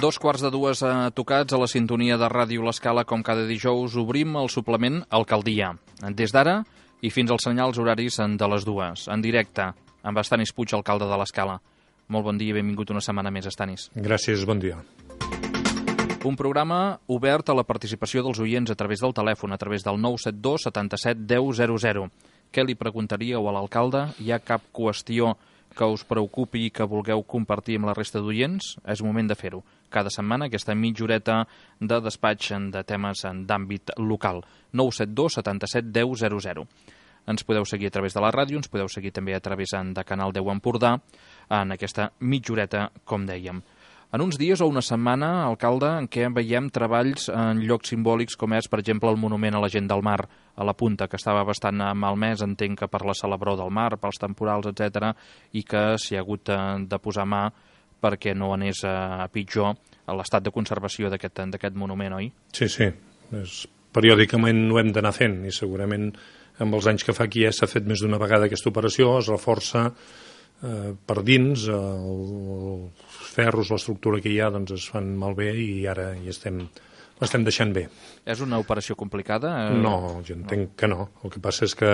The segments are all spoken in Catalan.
2:15 tocats a la sintonia de Ràdio L'Escala. Com cada dijous obrim el suplement Alcaldia. Des d'ara i fins als senyals horaris de les 2. En directe amb Estanis Puig, alcalde de L'Escala. Molt bon dia i benvingut una setmana més, Estanis. Gràcies, bon dia. Un programa obert a la participació dels oients a través del telèfon, a través del 972 77 10 00. Què li preguntaríeu a l'alcalde? Hi ha cap qüestió que us preocupi i que vulgueu compartir amb la resta d'oients? És moment de fer-ho. Cada setmana aquesta mitja horeta de despatx de temes d'àmbit local. 972 77 10 00. Ens podeu seguir a través de la ràdio, ens podeu seguir també a través de Canal 10 Empordà, en aquesta mitja horeta, com dèiem. En uns dies o una setmana, alcalde, en què veiem treballs en llocs simbòlics com és, per exemple, el monument a la gent del mar, a la Punta, que estava bastant malmès, entenc que per la celebró del mar, pels temporals, etc., i que s'hi ha hagut de posar mà perquè no anés a pitjor l'estat de conservació d'aquest monument, oi? Sí. Periòdicament ho hem d'anar fent i segurament amb els anys que fa aquí s'ha fet més d'una vegada aquesta operació, es reforça per dins, els ferros, l'estructura que hi ha, doncs es fan malbé i ara l'estem deixant bé. És una operació complicada? No, jo entenc que no. El que passa és que,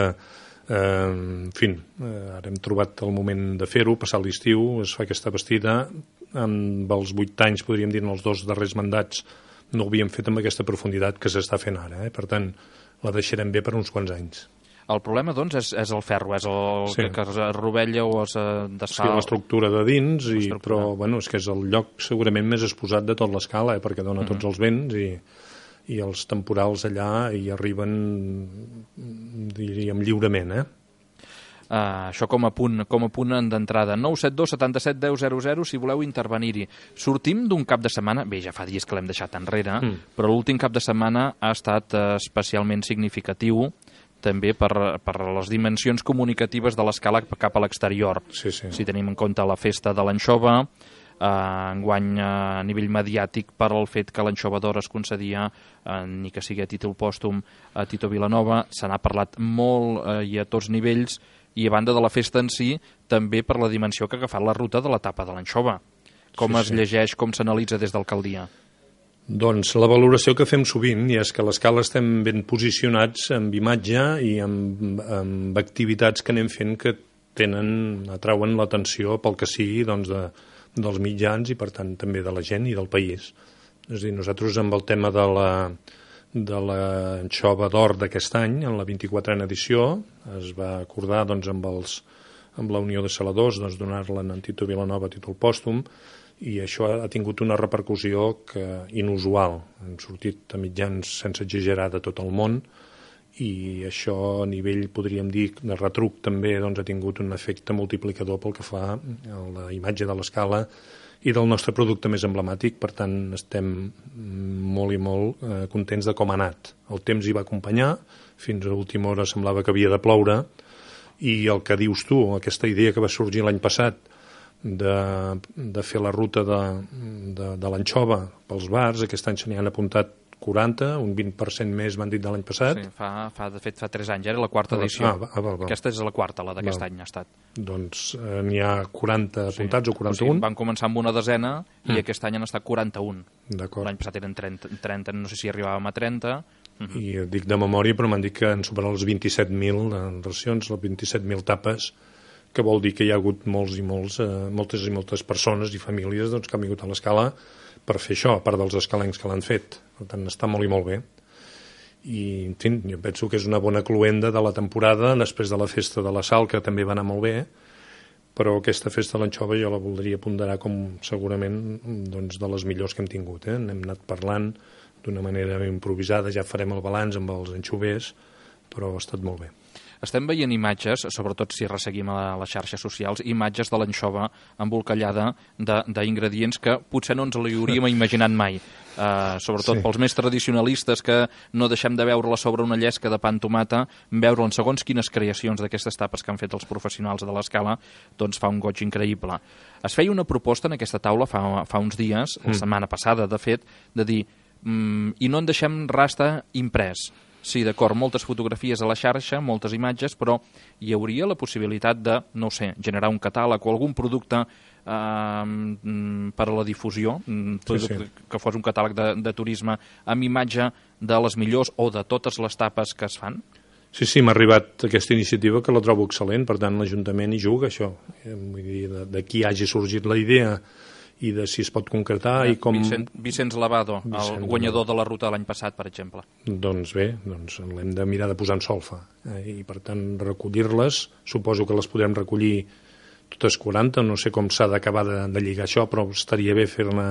ara hem trobat el moment de fer-ho, passar l'estiu, es fa aquesta bastida. Amb els 8 anys, podríem dir, en els 2 darrers mandats, no ho havíem fet amb aquesta profunditat que s'està fent ara. Per tant, la deixarem bé per uns quants anys. El problema, doncs, és el ferro, és el que es rovella o es desfà... Sí, l'estructura de dins, però és que és el lloc segurament més exposat de tot l'Escala, perquè dona tots els vents i els temporals allà hi arriben, diríem, lliurement, Això com a punt d'entrada. 972 77 10 00 si voleu intervenir-hi. Sortim d'un cap de setmana, bé, ja fa dies que l'hem deixat enrere, però l'últim cap de setmana ha estat especialment significatiu també per les dimensions comunicatives de l'Escala cap a l'exterior. Sí. Si tenim en compte la festa de l'anxova, enguany a nivell mediàtic per el fet que l'anxova d'or es concedia, ni que sigui a títol pòstum, a Tito Vilanova, se n'ha parlat molt i a tots nivells, i a banda de la festa en si, també per la dimensió que ha agafat la ruta de l'etapa de l'anxova. Com es llegeix, com s'analitza des d'alcaldia? Doncs la valoració que fem sovint i és que a l'Escala estem ben posicionats amb imatge i amb activitats que anem fent que atrauen l'atenció pel que sigui dels mitjans i per tant també de la gent i del país. És a dir, nosaltres amb el tema de l'anxova d'or d'aquest any, en la 24a edició, es va acordar amb la Unió de Saladors donar-la a Tito Vilanova a títol pòstum, i això ha tingut una repercussió inusual. Hem sortit a mitjans sense exagerar de tot el món i això a nivell, podríem dir, de retruc també ha tingut un efecte multiplicador pel que fa a la imatge de l'Escala i del nostre producte més emblemàtic. Per tant, estem molt i molt contents de com ha anat. El temps hi va acompanyar, fins a l'última hora semblava que havia de ploure, i el que dius tu, aquesta idea que va sorgir l'any passat de fer la ruta de l'anxova pels bars, aquest any se n'hi han apuntat 40, un 20% més m'han dit de l'any passat. Sí, de fet fa 3 anys, era la 4a edició. Aquesta és la 4a, la d'aquest any ha estat. Doncs n'hi ha 40 apuntats o 41. O sigui, van començar amb una desena i aquest any han estat 41. D'acord. L'any passat eren 30, no sé si arribàvem a 30. I dic de memòria, però m'han dit que han superat els 27.000 racions, les 27.000 tapes, que vol dir que hi ha hagut moltes i moltes persones i famílies que han vingut a l'Escala per fer això, a part dels escalencs que l'han fet. Per tant, està molt i molt bé. I, en fi, jo penso que és una bona cloenda de la temporada, després de la festa de la Sal, que també va anar molt bé, però aquesta festa de l'anxova jo la voldria ponderar com segurament de les millors que hem tingut. N'hem anat parlant d'una manera improvisada, ja farem el balanç amb els anxovers, però ha estat molt bé. Estem veient imatges, sobretot si resseguim a les xarxes socials, imatges de l'anxova embolcallada d'ingredients que potser no ens li hauríem imaginat mai. Sobretot pels més tradicionalistes que no deixem de veure-la sobre una llesca de pa amb tomata, veure-la en segons quines creacions d'aquestes tapes que han fet els professionals de l'Escala, doncs fa un goig increïble. Es feia una proposta en aquesta taula fa uns dies, la setmana passada, de fet, de dir i no en deixem rastre imprès. Sí, d'acord, moltes fotografies a la xarxa, moltes imatges, però hi hauria la possibilitat de, no ho sé, generar un catàleg o algun producte per a la difusió, que fos un catàleg de turisme amb imatge de les millors o de totes les tapes que es fan? Sí, m'ha arribat aquesta iniciativa que la trobo excel·lent, per tant l'Ajuntament hi juga, això. Vull dir, d'aquí hagi sorgit la idea i de si es pot concretar i com... Vicenç Lavado, el guanyador de la ruta de l'any passat, per exemple. Doncs bé, l'hem de mirar de posar en solfa i per tant recollir-les, suposo que les podrem recollir totes 40, no sé com s'ha d'acabar de lligar això, però estaria bé fer-ne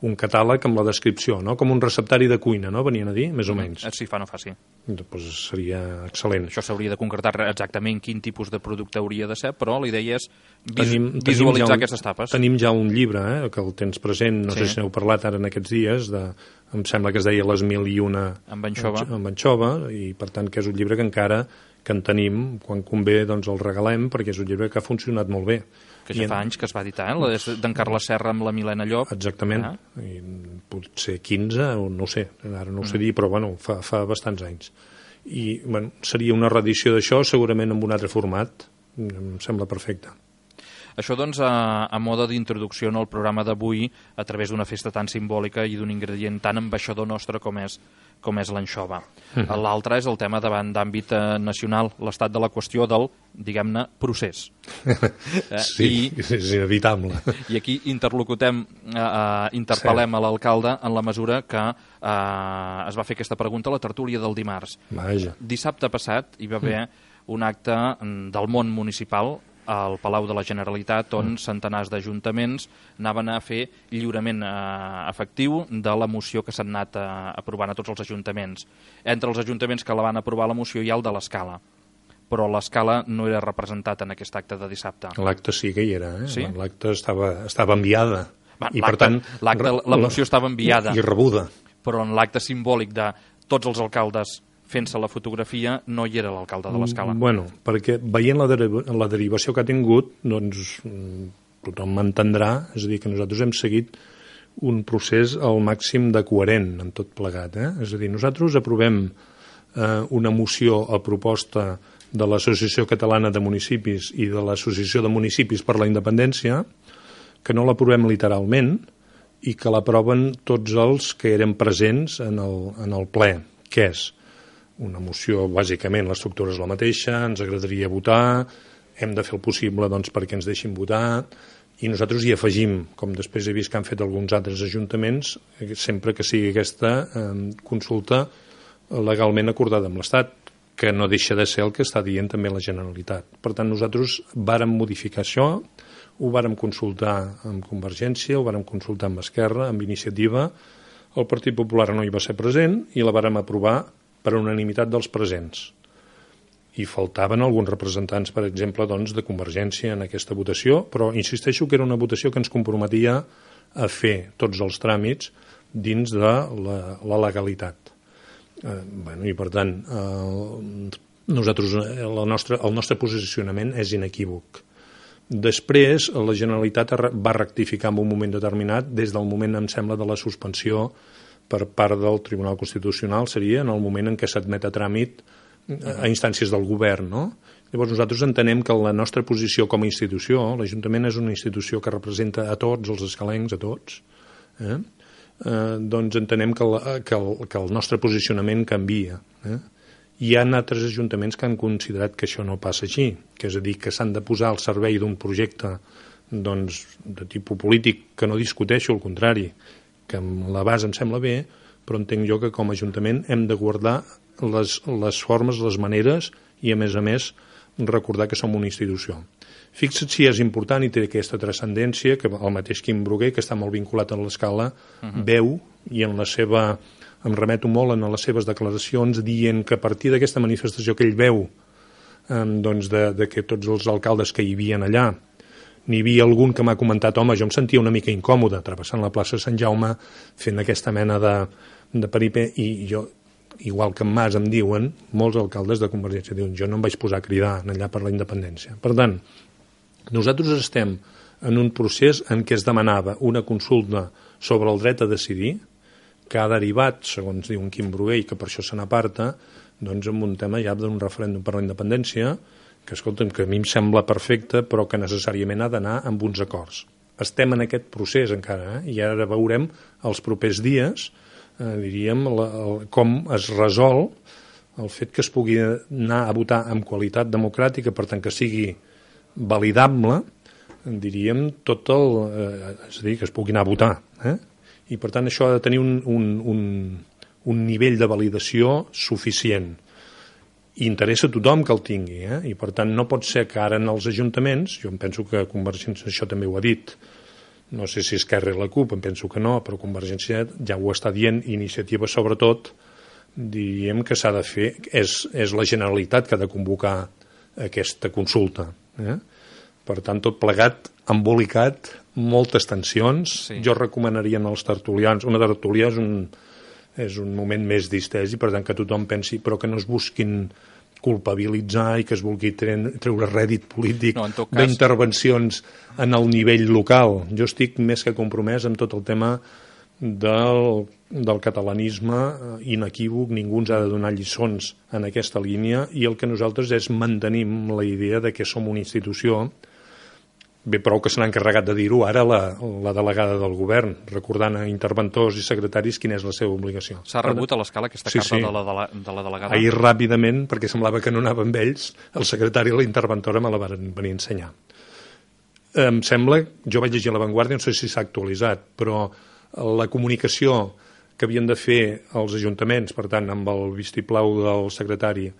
un catàleg amb la descripció, no? Com un receptari de cuina, no? Venien a dir, més o menys. Si fa no fa, sí. Doncs seria excel·lent. Això s'hauria de concretar exactament quin tipus de producte hauria de ser, però la idea és visualitzar aquestes tapes. Tenim ja un llibre, que el tens present, no sé si n'heu parlat ara en aquests dies, em sembla que es deia Les 1001 amb anxova, i per tant que és un llibre que encara que en tenim, quan convé doncs el regalem, perquè és un llibre que ha funcionat molt bé. Que ja fa anys que es va editar, d'en Carles Serra amb la Milena Llop. Exactament, i potser 15, o no sé, ara no ho sé dir, però bueno, fa bastants anys. I bueno, seria una reedició d'això, segurament en un altre format, em sembla perfecte. Això, doncs, a mode d'introducció al programa d'avui, a través d'una festa tan simbòlica i d'un ingredient tan ambaixador nostre com és l'anxova. L'altre és el tema davant d'àmbit nacional, l'estat de la qüestió del, diguem-ne, procés. Sí, és inevitable. I aquí interpel·lem a l'alcalde en la mesura que es va fer aquesta pregunta a la tertúlia del dimarts. Vaja. Dissabte passat hi va haver un acte del món municipal al Palau de la Generalitat, on centenars d'ajuntaments anaven a fer lliurament efectiu de la moció que s'han anat aprovant a tots els ajuntaments. Entre els ajuntaments que la van aprovar la moció hi ha el de l'Escala, però l'Escala no era representat en aquest acte de dissabte. L'acte sí que hi era, Sí? L'acte estava enviada. I per tant, la moció estava enviada. I rebuda. Però en l'acte simbòlic de tots els alcaldes fent-se la fotografia, no hi era l'alcalde de l'Escala. Bueno, perquè veient la derivació que ha tingut, doncs tothom m'entendrà, és a dir, que nosaltres hem seguit un procés al màxim de coherent en tot plegat. És a dir, nosaltres aprovem una moció a proposta de l'Associació Catalana de Municipis i de l'Associació de Municipis per la Independència, que no l'aprovem literalment i que l'aproven tots els que eren presents en el ple, que és una moció, bàsicament, l'estructura és la mateixa, ens agradaria votar, hem de fer el possible doncs, perquè ens deixin votar, i nosaltres hi afegim, com després he vist que han fet alguns altres ajuntaments, sempre que sigui aquesta consulta legalment acordada amb l'Estat, que no deixa de ser el que està dient també la Generalitat. Per tant, nosaltres vàrem modificar això, ho vàrem consultar amb Convergència, ho vàrem consultar amb Esquerra, amb Iniciativa, el Partit Popular no hi va ser present i la vàrem aprovar per unanimitat dels presents. I faltaven alguns representants, per exemple, doncs, de Convergència en aquesta votació, però insisteixo que era una votació que ens comprometia a fer tots els tràmits dins de la legalitat. I per tant, nosaltres, el nostre posicionament és inequívoc. Després, la Generalitat va rectificar en un moment determinat, des del moment, em sembla, de la suspensió per part del Tribunal Constitucional, seria en el moment en què s'admet a tràmit a instàncies del govern, no? Llavors nosaltres entenem que la nostra posició com a institució, l'Ajuntament és una institució que representa a tots els escalencs, a tots, doncs entenem que el nostre posicionament canvia. Hi ha altres ajuntaments que han considerat que això no passa així, que és a dir, que s'han de posar al servei d'un projecte doncs, de tipus polític, que no discuteixo, al contrari, que amb la base em sembla bé, però entenc jo que com a Ajuntament hem de guardar les formes, les maneres i, a més, recordar que som una institució. Fixa't si és important i té aquesta transcendència que el mateix Quim Bruguer, que està molt vinculat a l'Escala, veu, i em remeto molt a les seves declaracions, dient que a partir d'aquesta manifestació que ell veu, doncs de que tots els alcaldes que hi havia allà, n'hi havia algun que m'ha comentat, home, jo em sentia una mica incòmode travessant la plaça Sant Jaume fent aquesta mena de peripé, i jo, igual que en Mas em diuen, molts alcaldes de Convergència diuen, jo no em vaig posar a cridar allà per la independència. Per tant, nosaltres estem en un procés en què es demanava una consulta sobre el dret a decidir, que ha derivat, segons diu en Quim Brugué, i que per això se n'aparta, doncs amb un tema ja d'un referèndum per la independència, que, escolta'm, que a mi em sembla perfecte, però que necessàriament ha d'anar amb uns acords. Estem en aquest procés encara, i ara veurem els propers dies, diríem, com es resol el fet que es pugui anar a votar amb qualitat democràtica, per tant que sigui validable, diríem, tot el... és a dir, que es pugui anar a votar. I per tant això ha de tenir un nivell de validació suficient. I interessa a tothom que el tingui, i per tant no pot ser que ara en els ajuntaments, jo em penso que Convergència això també ho ha dit, no sé si Esquerra i la CUP, em penso que no, però Convergència ja ho està dient, Iniciativa sobretot, diríem que s'ha de fer, és la Generalitat que ha de convocar aquesta consulta. Per tant, tot plegat, embolicat, moltes tensions. Sí. Jo recomanaria als tertulians, una tertúlia és un moment més distès i per tant que tothom pensi, però que no es busquin culpabilitzar i que es vulgui treure rèdit polític d'intervencions en el nivell local. Jo estic més que compromès amb tot el tema del catalanisme inequívoc, ningú ens ha de donar lliçons en aquesta línia i el que nosaltres és mantenim la idea de que som una institució. Bé, prou que se n'ha encarregat de dir-ho ara la delegada del govern, recordant a interventors i secretaris quina és la seva obligació. S'ha rebut a l'Escala aquesta carta de la delegada? Ahir ràpidament, perquè semblava que no anava amb ells, el secretari i la interventora me la van venir a ensenyar. Em sembla, jo vaig llegir a La Vanguardia, no sé si s'ha actualitzat, però la comunicació que havien de fer els ajuntaments, per tant, amb el vistiplau del secretari,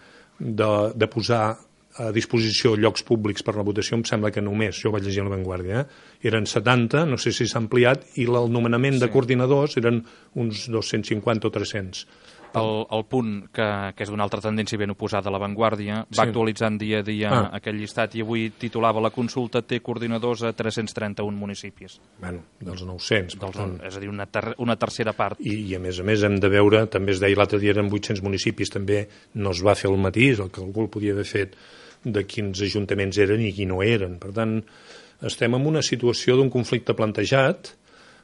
de posar a disposició llocs públics per la votació, em sembla que només, jo vaig llegir a La Vanguardia, eren 70, no sé si s'ha ampliat, i el nomenament de coordinadors eren uns 250 o 300. El punt, que és d'una altra tendència ben oposada a La Vanguardia, va actualitzant dia a dia aquell llistat i avui titulava la consulta té coordinadors a 331 municipis. Bueno, dels 900. És a dir, una tercera part. I a més hem de veure, també es deia l'altre dia eren 800 municipis, també no es va fer el matís, el que algú el podia haver fet de quins ajuntaments eren i qui no eren. Per tant, estem en una situació d'un conflicte plantejat,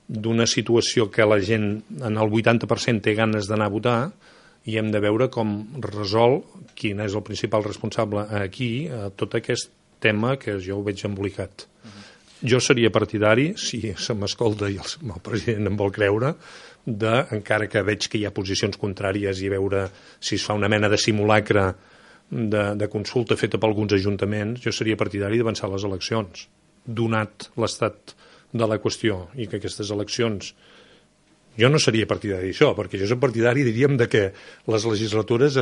d'una situació que la gent en el 80% té ganes d'anar a votar i hem de veure com resol quin és el principal responsable aquí a tot aquest tema que jo ho veig embolicat. Jo seria partidari, si se m'escolta i el president em vol creure, encara que veig que hi ha posicions contràries i veure si es fa una mena de simulacre de consulta feta per alguns ajuntaments, jo seria partidari d'avançar les eleccions, donat l'estat de la qüestió i que aquestes eleccions... Jo no seria partidari d'això, perquè jo soc partidari, diríem, de que les legislatures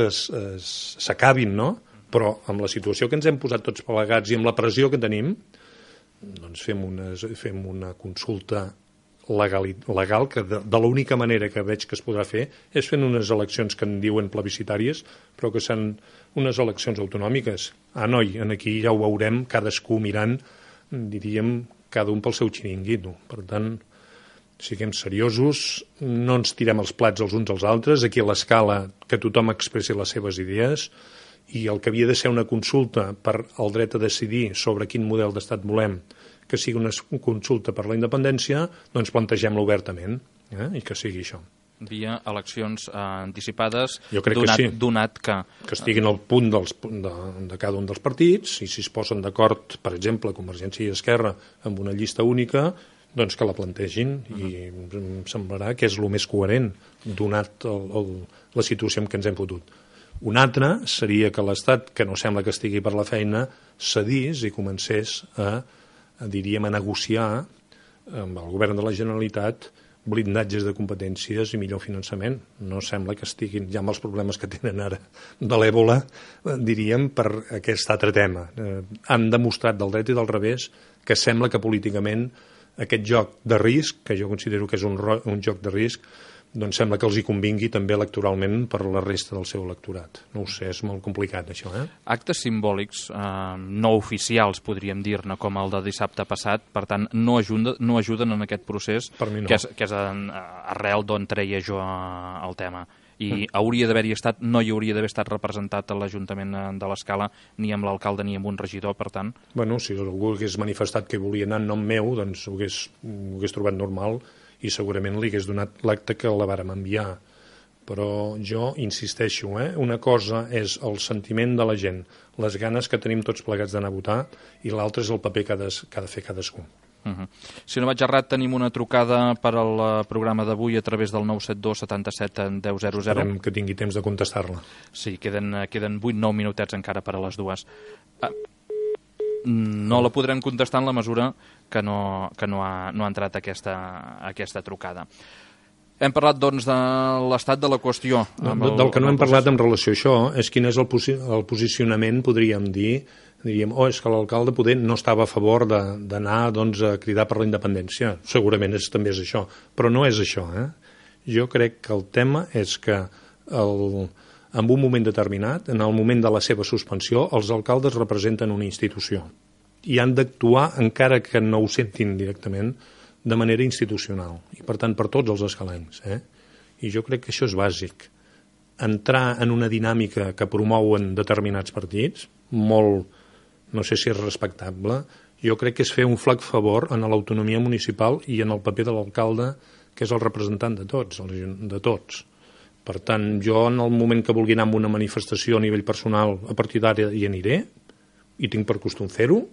s'acabin, no? Però amb la situació que ens hem posat tots plegats i amb la pressió que tenim, doncs fem una consulta legal que de l'única manera que veig que es podrà fer és fent unes eleccions que en diuen plebiscitàries, però que són unes eleccions autonòmiques. Noi, aquí ja ho veurem, cadascú mirant, diríem, cada un pel seu xiringuito. Per tant, siguem seriosos, no ens tirem els plats els uns als altres, aquí a l'Escala que tothom expressi les seves idees i el que havia de ser una consulta per al dret a decidir sobre quin model d'estat volem, que sigui una consulta per la independència, doncs plantegem-la obertament i que sigui això. Via eleccions anticipades, jo crec que sí. Donat que estiguin al punt de cada un dels partits i si es posen d'acord, per exemple, Convergència i Esquerra amb una llista única, doncs que la plantegin i em semblarà que és el més coherent donat la situació en què ens hem fotut. Un altre seria que l'Estat, que no sembla que estigui per la feina, cedís i comencés a negociar amb el govern de la Generalitat blindatges de competències i millor finançament. No sembla que estiguin ja amb els problemes que tenen ara de l'èbola, diríem, per aquest altre tema. Han demostrat del dret i del revés que sembla que políticament aquest joc de risc, que jo considero que és un joc de risc, doncs sembla que els hi convingui també electoralment per la resta del seu electorat. No ho sé, és molt complicat això. Actes simbòlics no oficials, podríem dir-ne, com el de dissabte passat, per tant, no ajuden en aquest procés, per mi no. que és arrel d'on treia jo el tema. I hauria d'haver-hi estat, no hi hauria d'haver estat representat a l'Ajuntament de l'Escala, ni amb l'alcalde ni amb un regidor, per tant... Bueno, si algú hagués manifestat que volia anar en nom meu, doncs ho hagués trobat normal i segurament li hagués donat l'acta que la vàrem enviar. Però jo insisteixo, una cosa és el sentiment de la gent, les ganes que tenim tots plegats d'anar a votar, i l'altre és el paper que ha de fer cadascú. Si no vaig errat, tenim una trucada per al programa d'avui a través del 972 77 10 00. Esperem que tingui temps de contestar-la. Sí, queden 8-9 minutets encara per a les dues. No la podrem contestar en la mesura que no ha entrat aquesta trucada. Hem parlat, doncs, de l'estat de la qüestió. Del que no hem parlat en relació a això és quin és el posicionament, podríem dir, és que l'alcalde poder no estava a favor d'anar doncs, a cridar per la independència. Segurament també és això, però no és això. Jo crec que el tema és que en un moment determinat, en el moment de la seva suspensió, els alcaldes representen una institució i han d'actuar, encara que no ho sentin directament, de manera institucional, i per tant per tots els escalencs. I jo crec que això és bàsic. Entrar en una dinàmica que promouen determinats partits, molt, no sé si és respectable, jo crec que és fer un flac favor en l'autonomia municipal i en el paper de l'alcalde, que és el representant de tots. Per tant, jo en el moment que vulgui anar a una manifestació a nivell personal, a partir d'ara hi aniré, i tinc per costum fer-ho,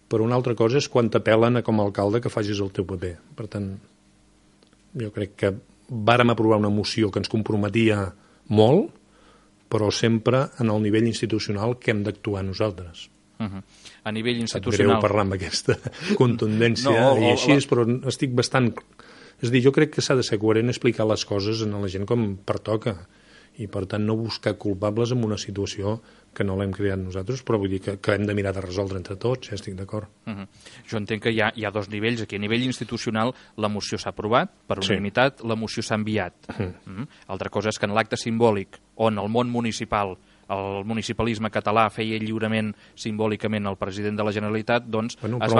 però una altra cosa és quan t'apel·len com a alcalde que facis el teu paper. Per tant, jo crec que vàrem aprovar una moció que ens comprometia molt, però sempre en el nivell institucional que hem d'actuar nosaltres. A nivell institucional... Em greu parlar amb aquesta contundència i així, però estic bastant... És a dir, jo crec que s'ha de ser coherent explicar les coses a la gent com pertoca, i per tant no buscar culpables en una situació que no l'hem creat nosaltres, però vull dir que hem de mirar de resoldre entre tots, ja estic d'acord. Jo entenc que hi ha dos nivells aquí. A nivell institucional la moció s'ha aprovat, per unanimitat, la moció s'ha enviat. Altra cosa és que en l'acte simbòlic on el món municipal, el municipalisme català feia lliurement simbòlicament el president de la Generalitat, doncs es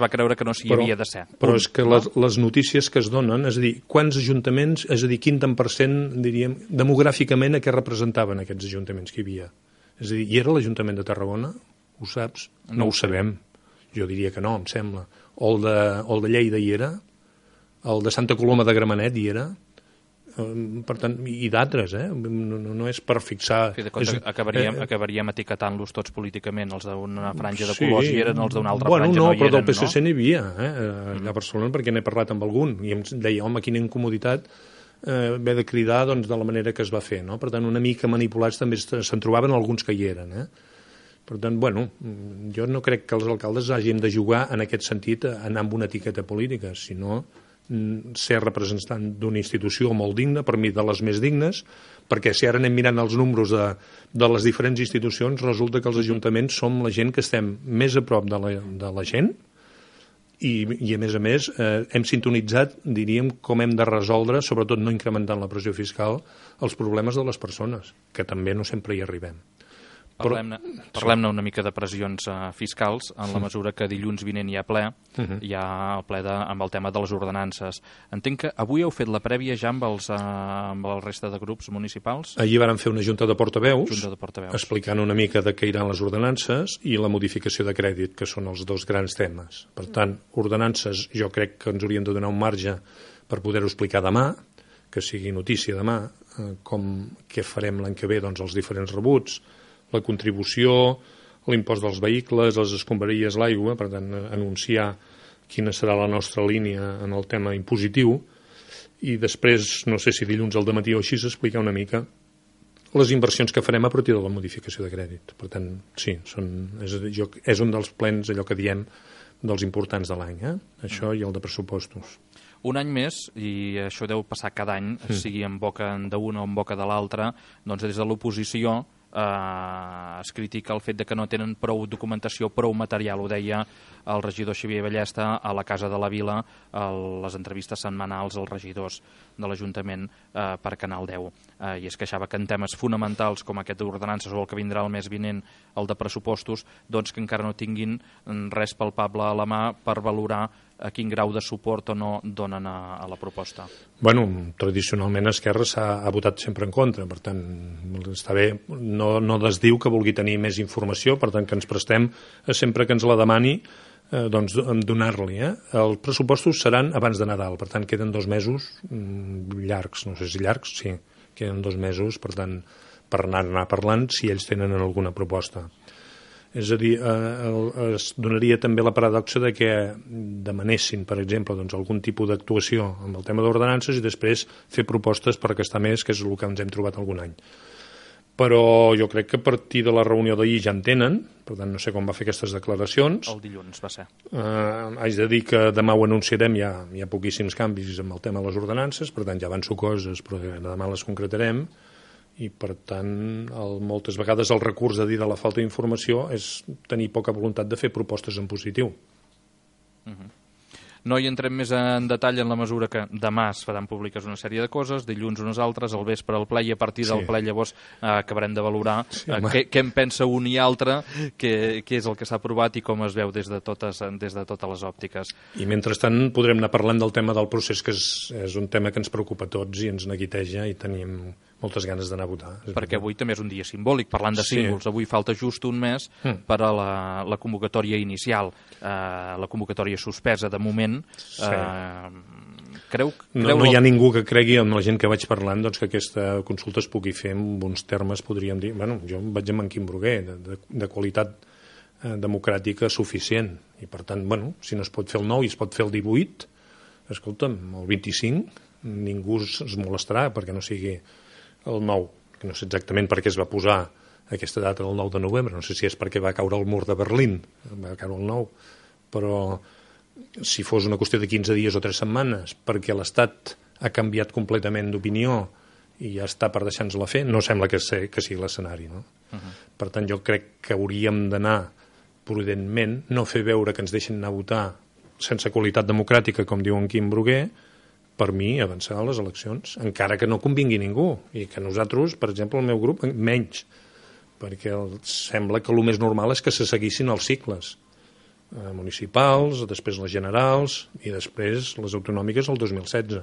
va creure que no s'hi havia de ser. Però és que les notícies que es donen, és a dir, quants ajuntaments, és a dir, quin tant per cent, diríem, demogràficament a què representaven aquests ajuntaments que hi havia? És a dir, hi era l'Ajuntament de Tarragona? Ho saps? No ho sabem. Jo diria que no, em sembla. O el de Lleida hi era? El de Santa Coloma de Gramenet hi era? Per tant, i d'altres, no és per fixar... Acabaríem etiquetant-los tots políticament, els d'una franja de colors hi eren, els d'una altra franja no hi eren, no? Però del PSC n'hi havia, allà a Barcelona, perquè n'he parlat amb algun, i em deia, home, quina incomoditat haver de cridar de la manera que es va fer, no? Per tant, una mica manipulats també se'n trobaven alguns que hi eren, Per tant, jo no crec que els alcaldes hagin de jugar en aquest sentit a anar amb una etiqueta política, sinó ser representant d'una institució molt digna, per mi de les més dignes, perquè si ara anem mirant els números de les diferents institucions, resulta que els ajuntaments som la gent que estem més a prop de la gent i a més, hem sintonitzat, diríem, com hem de resoldre, sobretot no incrementant la pressió fiscal, els problemes de les persones, que també no sempre hi arribem. Parlem-ne una mica de pressions fiscals, en la mesura que dilluns vinent hi ha ple, hi ha el ple amb el tema de les ordenances. Entenc que avui heu fet la prèvia ja amb la resta de grups municipals? Ahir vàrem fer una junta de portaveus, explicant una mica de què iran les ordenances i la modificació de crèdit, que són els dos grans temes. Per tant, ordenances jo crec que ens haurien de donar un marge per poder-ho explicar demà, que sigui notícia demà, què farem l'any que ve, doncs els diferents rebuts, la contribució, l'impost dels vehicles, les escombraries, l'aigua, per tant, anunciar quina serà la nostra línia en el tema impositiu i després, no sé si dilluns al dematí o així, explicar una mica les inversions que farem a partir de la modificació de crèdit. Per tant, sí, és un dels plens, allò que diem, dels importants de l'any, això i el de pressupostos. Un any més, i això deu passar cada any, sigui en boca d'una o en boca de l'altra, doncs des de l'oposició es critica el fet de que no tenen prou documentació, prou material. Ho deia el regidor Xavier Ballesta a la Casa de la Vila, a les entrevistes setmanals als regidors de l'Ajuntament per Canal 10. I es queixava que en temes fonamentals com aquest d'ordenances o el que vindrà el mes vinent, el de pressupostos, doncs que encara no tinguin res palpable a la mà per valorar a quin grau de suport o no donen a la proposta. Tradicionalment Esquerra ha votat sempre en contra, per tant, està bé, no desdiu que vulgui tenir més informació, per tant que ens prestem sempre que ens la demani doncs donar-li. Els pressupostos seran abans de Nadal, per tant queden 2 mesos llargs, no sé si llargs, sí, queden 2 mesos, per tant, per anar parlant si ells tenen alguna proposta. És a dir, es donaria també la paradoxa de que demanessin, per exemple, doncs, algun tipus d'actuació amb el tema d'ordenances i després fer propostes per gastar més, que és el que ens hem trobat algun any. Però jo crec que a partir de la reunió d'ahir ja en tenen, per tant no sé com va fer aquestes declaracions. El dilluns va ser. Haig de dir que demà ho anunciarem, hi ha poquíssims canvis amb el tema de les ordenances, per tant ja avanço coses, però demà les concretarem, i per tant moltes vegades el recurs de dir de la falta d'informació és tenir poca voluntat de fer propostes en positiu. No hi entrem més en detall en la mesura que demà es faran públiques una sèrie de coses, dilluns unes altres, al vespre el ple, i a partir del ple llavors acabarem de valorar què en pensa un i altre, què és el que s'ha aprovat i com es veu des de totes les òptiques. I mentrestant podrem anar parlant del tema del procés, que és un tema que ens preocupa a tots i ens neguiteja i tenim moltes ganes d'anar a votar. Perquè avui també és un dia simbòlic, parlant de símbols. Avui falta just un mes per a la convocatòria inicial, la convocatòria suspesa de moment. No hi ha ningú que cregui, amb la gent que vaig parlant, doncs, que aquesta consulta es pugui fer amb uns termes, podríem dir, bueno, jo vaig amb en Quim Bruguer, de qualitat democràtica suficient, i per tant, bueno, si no es pot fer el 9 i es pot fer el 18, escolta'm, el 25 ningú es molestarà perquè no sigui el 9, que no sé exactament per què es va posar aquesta data del 9 de novembre, no sé si és perquè va caure el mur de Berlín, va caure el 9, però si fos una qüestió de 15 dies o 3 setmanes, perquè l'Estat ha canviat completament d'opinió i ja està per deixar-nos-la fer, no sembla que sigui l'escenari, no? Per tant, jo crec que hauríem d'anar prudentment, no fer veure que ens deixen anar a votar sense qualitat democràtica, com diu en Quim Bruguer, per mi, avançar a les eleccions, encara que no convingui ningú, i que nosaltres, per exemple, el meu grup, menys, perquè sembla que el més normal és que se seguissin els cicles municipals, després les generals i després les autonòmiques el 2016.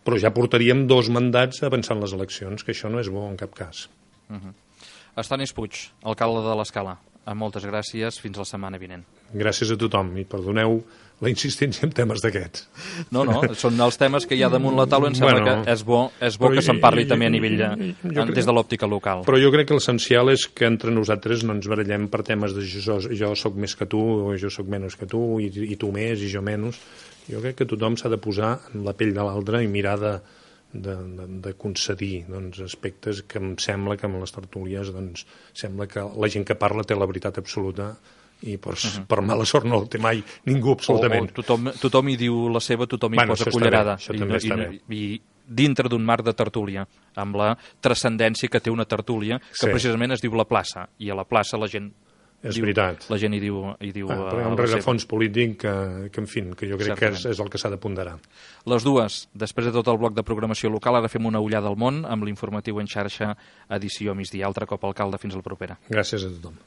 Però ja portaríem 2 mandats avançant les eleccions, que això no és bo en cap cas. Estanis Puig, alcalde de l'Escala, moltes gràcies, fins la setmana vinent. Gràcies a tothom i perdoneu la insistència en temes d'aquests. No, són els temes que hi ha damunt la taula, em sembla que és bo que se'n parli també a nivell des de l'òptica local. Però jo crec que l'essencial és que entre nosaltres no ens barallem per temes de jo soc més que tu o jo soc menys que tu i tu més i jo menys. Jo crec que tothom s'ha de posar en la pell de l'altre i mirar de concedir aspectes que em sembla que amb les tertúlies sembla que la gent que parla té la veritat absoluta i per mala sort no el té mai ningú absolutament. Tothom hi diu la seva, tothom hi posa cullerada. Això també està bé. I dintre d'un marc de tertúlia, amb la transcendència que té una tertúlia, que precisament es diu la plaça, i a la plaça la gent... És veritat. La gent hi diu però hi ha un rerefons polític que, en fi, que jo crec que és el que s'ha de ponderar. Les dues, després de tot el bloc de programació local, ara fem una ullada al món amb l'informatiu en xarxa, edició migdia. Altre cop, alcalde, fins a la propera. Gràcies a tothom.